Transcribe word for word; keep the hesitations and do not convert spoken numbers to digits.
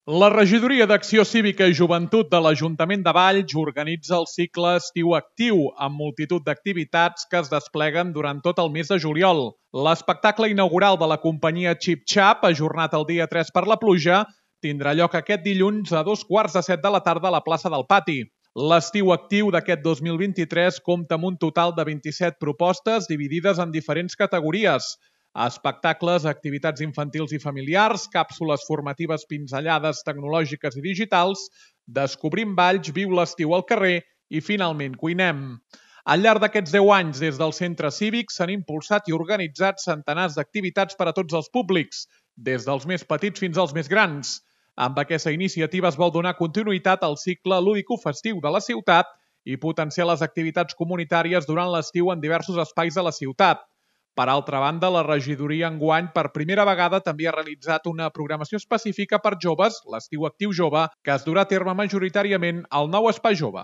La Regidoria d'Acció Cívica i Joventut de l'Ajuntament de Valls organitza el cicle Estiu Actiu amb multitud d'activitats que es despleguen durant tot el mes de juliol. L'espectacle inaugural de la companyia Xip Xap, ajornat el dia tres per la pluja, tindrà lloc aquest dilluns a dos quarts de set de la tarda a la plaça del Pati. L'estiu actiu d'aquest dos mil vint-i-tres compta amb un total de vint-i-set propostes dividides en diferents categories: espectacles, activitats infantils i familiars, càpsules formatives pinzellades tecnològiques i digitals, descobrim Valls, viu l'estiu al carrer i, finalment, cuinem. Al llarg d'aquests deu anys, des del centre cívic, s'han impulsat i organitzat centenars d'activitats per a tots els públics, des dels més petits fins als més grans. Amb aquesta iniciativa es vol donar continuïtat al cicle lúdico-festiu de la ciutat i potenciar les activitats comunitàries durant l'estiu en diversos espais de la ciutat. Per altra banda, la regidoria enguany per primera vegada també ha realitzat una programació específica per joves, l'estiu actiu jove, que es durà a terme majoritàriament al nou Espai Jove.